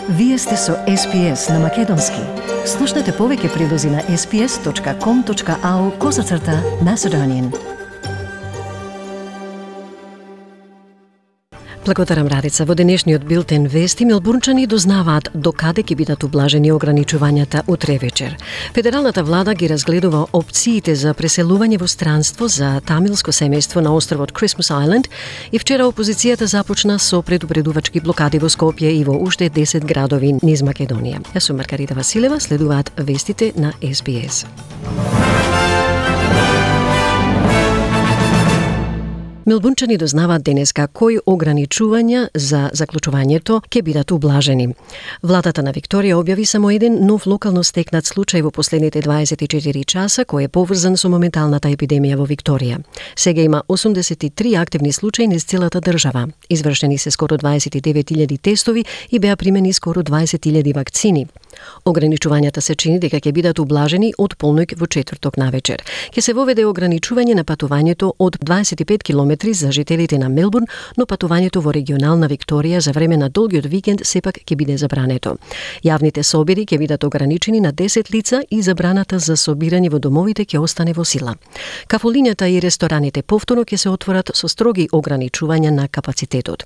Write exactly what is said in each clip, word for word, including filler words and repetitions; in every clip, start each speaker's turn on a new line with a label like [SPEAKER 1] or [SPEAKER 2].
[SPEAKER 1] Вие сте со Ес Би Ес на Македонски. Слушнете повеќе прилози на ес би ес точка ком точка ау козацрта Macedonian. Благодарам, Радица. Во денешниот билтен вести мелбурнчани дознаваат докаде ќе бидат ублажени ограничувањата утре вечер. Федералната влада ги разгледува опциите за преселување во странство за тамилско семејство на островот Christmas Island и вчера опозицијата започна со предупредувачки блокади во Скопје и во уште десет градови низ Македонија. Јас сум Маргарита Василева, следуваат вестите на Ес Би Ес. Мелбурнчани дознаваат денеска кои ограничувања за заклучувањето ќе бидат ублажени. Владата на Викторија објави само еден нов локално стекнат случај во последните дваесет и четири часа кој е поврзан со моменталната епидемија во Викторија. Сега има осумдесет и три активни случаи низ целата држава. Извршени се скоро дваесет и девет илјади тестови и беа примени скоро дваесет илјади вакцини. Ограничувањата се чини дека ќе бидат ублажени од полноќ во четврток навечер. Ќе се воведе ограничување на патувањето од дваесет и пет километри за жителите на Мелбурн, но патувањето во регионална Викторија за време на долгиот викенд сепак ќе биде забрането. Јавните собири ќе бидат ограничени на десет лица и забраната за собирање во домовите ќе остане во сила. Кафулињата и рестораните повторно ќе се отворат со строги ограничувања на капацитетот.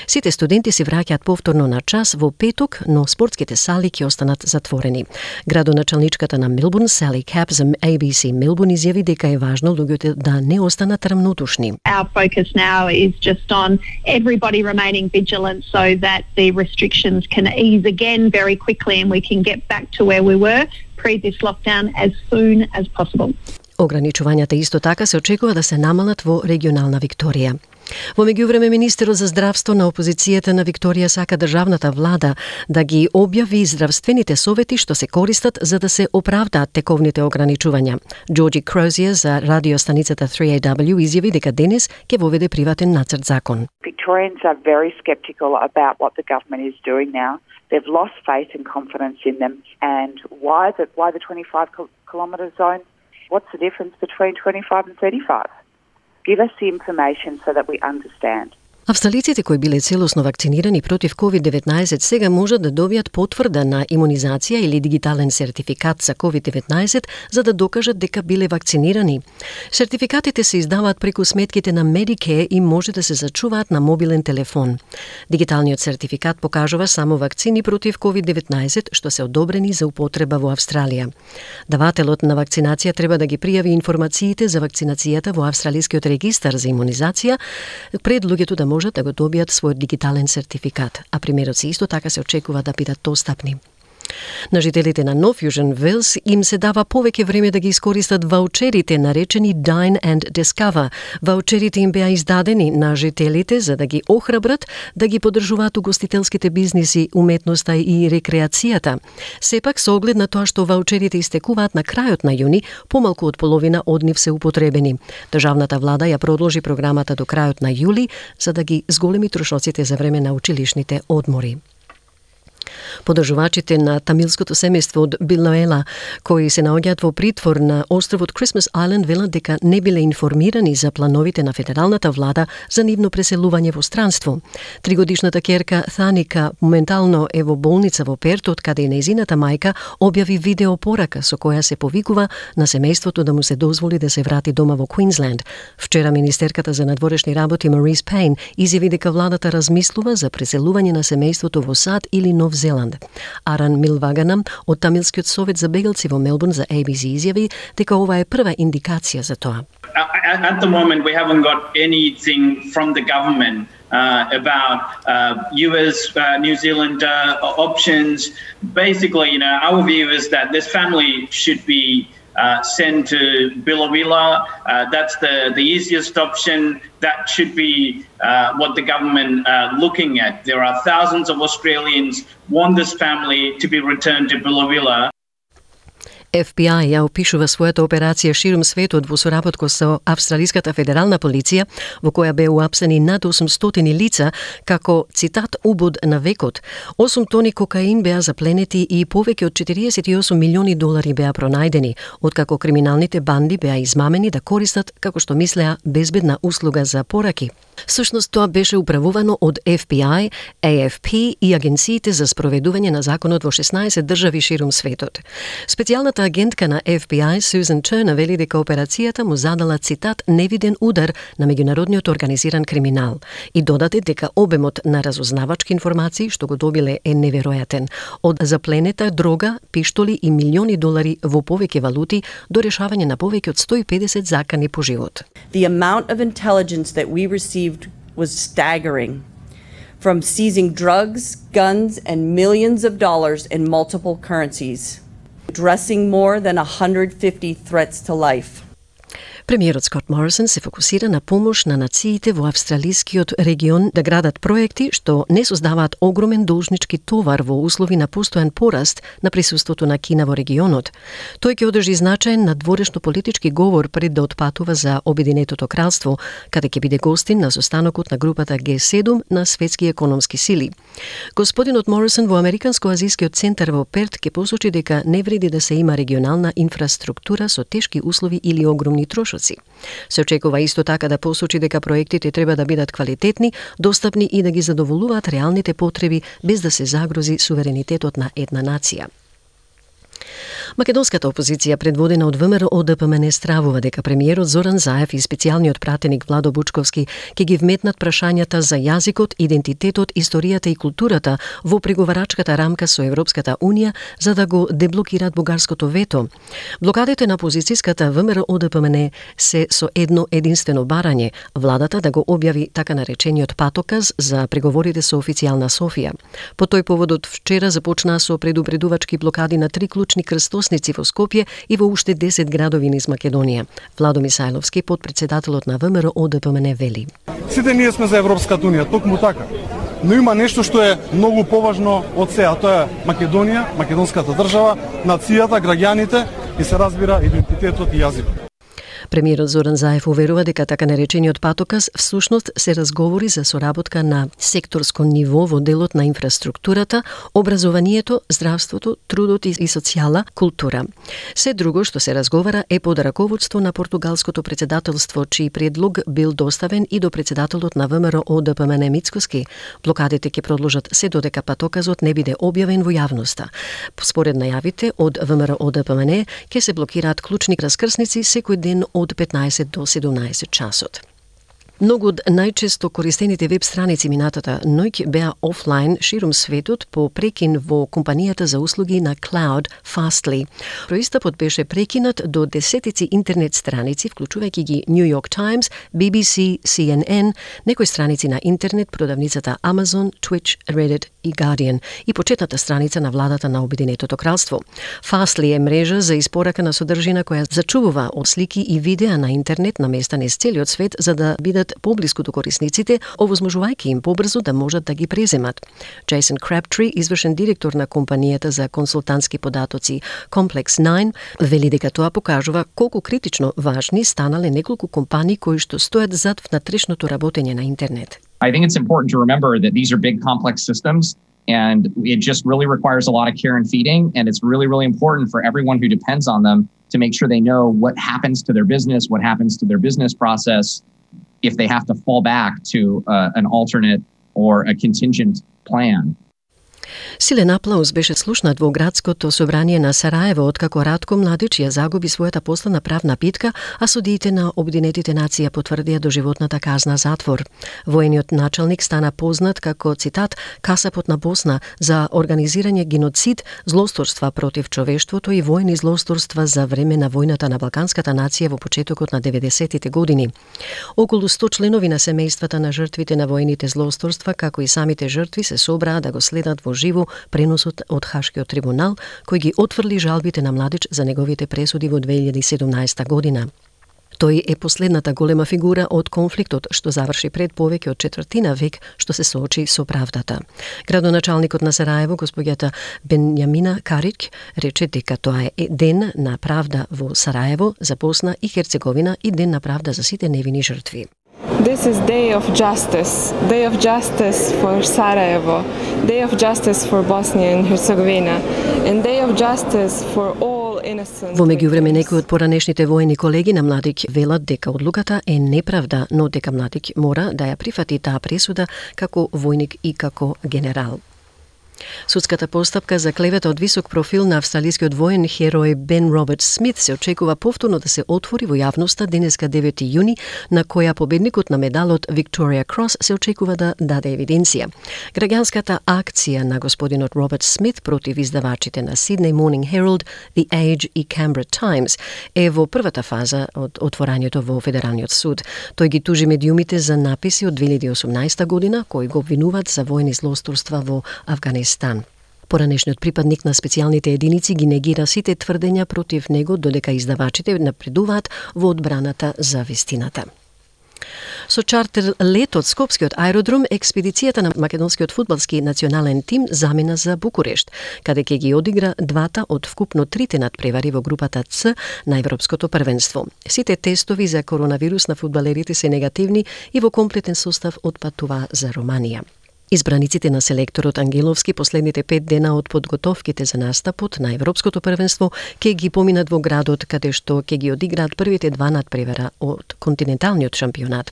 [SPEAKER 1] Сите студенти се враќаат повторно на час во петок, но спортските сали ќе останат затворени. Градоначалничката на Мелбурн, Сали Кап, за Ей Би Си Мелбурн изјави дека е важно луѓето да не останат рамнодушни.
[SPEAKER 2] Our focus now is just on everybody remaining vigilant so that the restrictions can ease again very quickly and we can get back to where we were pre this lockdown as soon as possible.
[SPEAKER 1] Ограничувањата исто така се очекува да се намалат во регионална Викторија. Во меѓувреме, министерот за здравство на опозицијата на Викторија сака државната влада да ги објави здравствените совети што се користат за да се оправдаат тековните ограничувања. Джорджи Крозија за радиостаницата три Ей Дабљу изјави дека денес ќе воведе приватен нацрт закон.
[SPEAKER 3] Victorians are very skeptical about what the government is doing now. They've lost faith and confidence in them. And why the why the twenty-five kilometre zone? What's the difference between twenty-five and thirty-five? Give us the information so that we understand.
[SPEAKER 1] Австралиците кои биле целосно вакцинирани против ковид деветнаесет сега можат да добијат потврда на имунизација или дигитален сертификат за ковид деветнаесет за да докажат дека биле вакцинирани. Сертификатите се издаваат преку сметките на Medicare и може да се зачуваат на мобилен телефон. Дигиталниот сертификат покажува само вакцини против ковид деветнаесет што се одобрени за употреба во Австралија. Давателот на вакцинација треба да ги пријави информациите за вакцинацијата во Австралискиот регистар за имунизација пред луѓето да можат да го добијат својот дигитален сертификат, а примероци исто така се очекува да бидат достапни. На жителите на Нов Јужен Велс им се дава повеќе време да ги искористат ваучерите наречени Dine and Discover. Ваучерите им беа издадени на жителите за да ги охрабрат да ги поддржуваат угостителските бизниси, уметноста и рекреацијата. Сепак, со оглед на тоа што ваучерите истекуваат на крајот на јуни, помалку од половина од нив се употребени. Државната влада ја продолжи програмата до крајот на јули за да ги зголеми трошоците за време на училишните одмори. Подржувачите на тамилското семејство од Билноела, кои се наоѓаат во притвор на островот Christmas Island, велат дека не биле информирани за плановите на федералната влада за нивно преселување во странство. Тригодишната ќерка Тhanика моментално е во болница во Перт, од каде и нејзината мајка објави видео порака со која се повикува на семејството да му се дозволи да се врати дома во Квинсленд. Вчера министерката за надворешни работи Марис Пейн изјави дека владата размислува за преселување на семејството во САД или Нов Зеланд. Аран Милвагана од Тамилскиот совет за бегалци во Мелбурн за Ей Би Си изјави дека ова е прва индикација за тоа.
[SPEAKER 4] At the moment we haven't got anything from the government uh, about uh, U S, uh, New Zealand uh, options. Basically, you know, our view is that this family should be Uh, send to Billawila. Uh, that's the, the easiest option. That should be uh, what the government uh, looking at. There are thousands of Australians want this family to be returned to Billawila.
[SPEAKER 1] Еф Би Ај ја опишува својата операција ширум светот во соработка со Австралиската федерална полиција, во која беа уапсени над осумстотини лица, како, цитат, убод на векот. осум тони кокаин беа запленети и повеќе од четириесет и осум милиони долари беа пронајдени, откако криминалните банди беа измамени да користат, како што мислеа, безбедна услуга за пораки. Всушност тоа беше управувано од Еф Би Ај, Ей Еф Пи и агенциите за спроведување на законот во шеснаесет држави ширум светот. Специјалната агентка на Еф Би Ај, Сюзан Чернер, вели дека операцијата му задала, цитат, невиден удар на меѓународниот организиран криминал и додаде дека обемот на разузнавачки информации што го добиле е неверојатен, од запленета дрога, пиштоли и милиони долари во повеќе валути до решавање на повеќе од сто и педесет закани по живот.
[SPEAKER 5] The amount of intelligence that we received was staggering. From seizing drugs, guns, and millions of dollars in multiple currencies, addressing more than one hundred fifty threats to life.
[SPEAKER 1] Премиерот Скот Морисон се фокусира на помош на нациите во австралискиот регион да градат проекти што не создаваат огромен должнички товар во услови на постојан пораст на присуството на Кина во регионот. Тој ќе одржи значаен надворешно политички говор пред да отпатува за Обединетото кралство, каде ќе биде гостин на состанокот на групата Ге седум на светски економски сили. Господинот Морисон во Американско-азискиот центар во Перт ќе посочи дека не вреди да се има регионална инфраструктура со тешки услови или огромни трошоци. Се очекува исто така да посочи дека проектите треба да бидат квалитетни, достапни и да ги задоволуваат реалните потреби без да се загрози суверенитетот на една нација. Македонската опозиција, предводена од ВМРО Д П М Н, стравува дека премиерот Зоран Заев и специјалниот пратеник Владо Бучковски ќе ги вметнат прашањата за јазикот, идентитетот, историјата и културата во преговарачката рамка со Европската Унија за да го деблокираат бугарското вето. Блокадите на опозицијската ВМРО Д П М Н се со едно единствено барање – владата да го објави така наречениот патоказ за преговорите со официјална Софија. По тој поводот вчера започнаа со предупредувачки блокади на три клучни крстосници во Скопје и во уште десет градови низ Македонија. Владо Мисајловски, подпредседателот на ВМРО Д П М Н, вели:
[SPEAKER 6] Сите ние сме за Европската Унија, токму така. Но има нешто што е многу поважно од се, а тоа е Македонија, македонската држава, нацијата, граѓаните и се разбира идентитетот и јазикот.
[SPEAKER 1] Премиерот Зоран Заев уверува дека така наречениот патоказ всушност се разговори за соработка на секторско ниво во делот на инфраструктурата, образованието, здравството, трудот и социјала, култура. Се друго што се разговара е под раководство на португалското председателство, чиј предлог бил доставен и до председателот на ВМРО Д П М Н Мицкоски. Блокадите ќе продолжат се додека патоказот не биде објавен во јавноста. Според најавите од ВМРО Д П М Н ќе се блокираат клучни раскрсници секој ден од петнаесет до седумнаесет часот. Многу од најчесто користените веб страници минатата ноќ беа офлайн ширум светот по прекин во компанијата за услуги на Cloud Fastly. Проистапот беше прекинат до десетици интернет страници, вклучувајќи ги New York Times, Би Би Си, Си Ен Ен, некои страници на интернет, продавницата Amazon, Twitch, Reddit и Guardian и почетната страница на владата на Обединетото кралство. Fastly е мрежа за испорака на содржина која зачувува од слики и видеа на интернет на места низ целиот свет за да бидат поблиску до корисниците, овозможувајќи им побрзо да можат да ги преземат. Джейсон Крабтри, извршен директор на компанијата за консултантски податоци Complex Nine, вели дека тоа покажува колку критично важни станале неколку компании кои што стојат зад внатрешното работење на интернет.
[SPEAKER 7] I think it's important to remember that these are big complex systems and it just really requires a lot of care and feeding, and it's really, really important for everyone who depends on them to make sure they know what happens to their business, what happens to their business process if they have to fall back to uh, an alternate or a contingent plan.
[SPEAKER 1] Силен аплауз беше слушнат во градското собрание на Сараево откако Радко Младич ја загуби својата последна правна битка, а судиите на Обединетите нации потврдија доживотната казна затвор. Воениот началник стана познат како, цитат, касапот на Босна за организирање геноцид, злосторства против човештвото и воени злосторства за време на војната на Балканската нација во почетокот на деветдесетите години. Околу сто членови на семејствата на жртвите на воените злосторства, како и самите жртви, се собраа да го следат во живо преносот од Хашкиот трибунал, кој ги отфрли жалбите на Младич за неговите пресуди во две илјади и седумнаесета година. Тој е последната голема фигура од конфликтот што заврши пред повеќе од четвртина век што се соочи со правдата. Градоначалникот на Сараево, господјата Бенјамина Карик, рече дека тоа е ден на правда во Сараево, за Босна и Херцеговина и ден на правда за сите невини жртви.
[SPEAKER 8] This is day of justice, day of justice for Sarajevo, day of justice for Bosnia and Herzegovina, and day of justice for all innocent.
[SPEAKER 1] Во меѓувреме некои од поранешните воени колеги на Младик велат дека одлуката е неправда, но дека Младик мора да ја прифати таа пресуда како војник и како генерал. Судската постапка за клевета од висок профил на австралискиот воен херој Бен Роберт Смит се очекува повторно да се отвори во јавноста денеска девети јуни, на која победникот на медалот Victoria Cross се очекува да даде евиденција. Граѓанската акција на господинот Роберт Смит против издавачите на Sydney Morning Herald, The Age и Canberra Times е во првата фаза од отворањето во Федералниот суд. Тој ги тужи медиумите за написи од две илјади и осумнаесета година кои го обвинуваат за воени злосторства во Авганистан. Поранешниот припадник на специјалните единици ги негира сите тврдења против него, додека издавачите напредуваат во одбраната за вистината. Со чартер лет од Скопскиот аеродром, експедицијата на македонскиот фудбалски национален тим замина за Букурешт, каде ќе ги одигра двата од вкупно трите надпревари во групата Ц на Европското првенство. Сите тестови за коронавирус на фудбалерите се негативни и во комплетен состав отпатува за Романија. Избраниците на селекторот Ангеловски последните пет дена од подготовките за настапот на Европското првенство ќе ги поминат во градот каде што ќе ги одиграат првите два надпревара од континенталниот шампионат.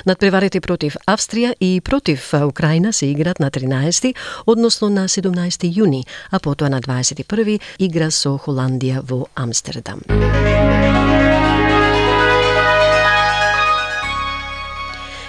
[SPEAKER 1] Надпреварите против Австрија и против Украина се играат на тринаесети, односно на седумнаесети јуни, а потоа на дваесет и први игра со Холандија во Амстердам.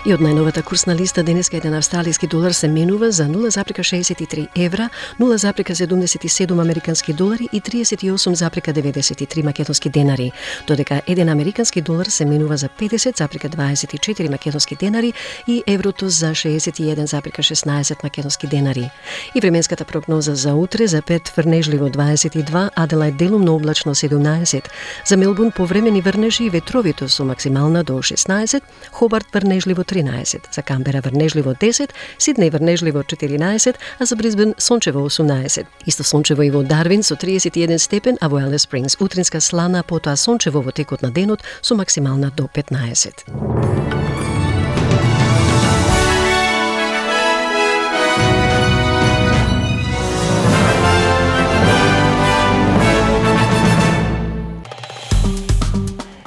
[SPEAKER 1] И од најновата курсна листа денеска еден австралиски долар се менува за нула запирка шеесет и три евра, нула запирка седумдесет и седум американски долари и триесет и осум запирка деветдесет и три македонски денари, додека еден американски долар се менува за педесет запирка дваесет и четири македонски денари и еврото за шеесет и еден запирка шеснаесет македонски денари. И временската прогноза за утре: за Перт врнежливо дваесет и два, Аделајд делумно облачно седумнаесет, за Мелбурн повремени врнежи и ветровито со максимална до шеснаесет, Хобарт врнежливо тринаесет, за Камбера врнежливо десет, Сиднеј врнежливо четиринаесет, а за Брисбен сончево осумнаесет. Исто сончево и во Дарвин со триесет и еден степен, а во Алис Спрингс утринска слана, потоа сончево во текот на денот со максимална до петнаесет.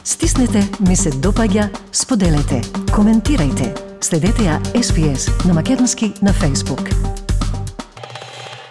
[SPEAKER 1] Стиснете, ми се допаѓа, споделете, коментирајте. Следете ја Ес Би Ес на македонски на Facebook.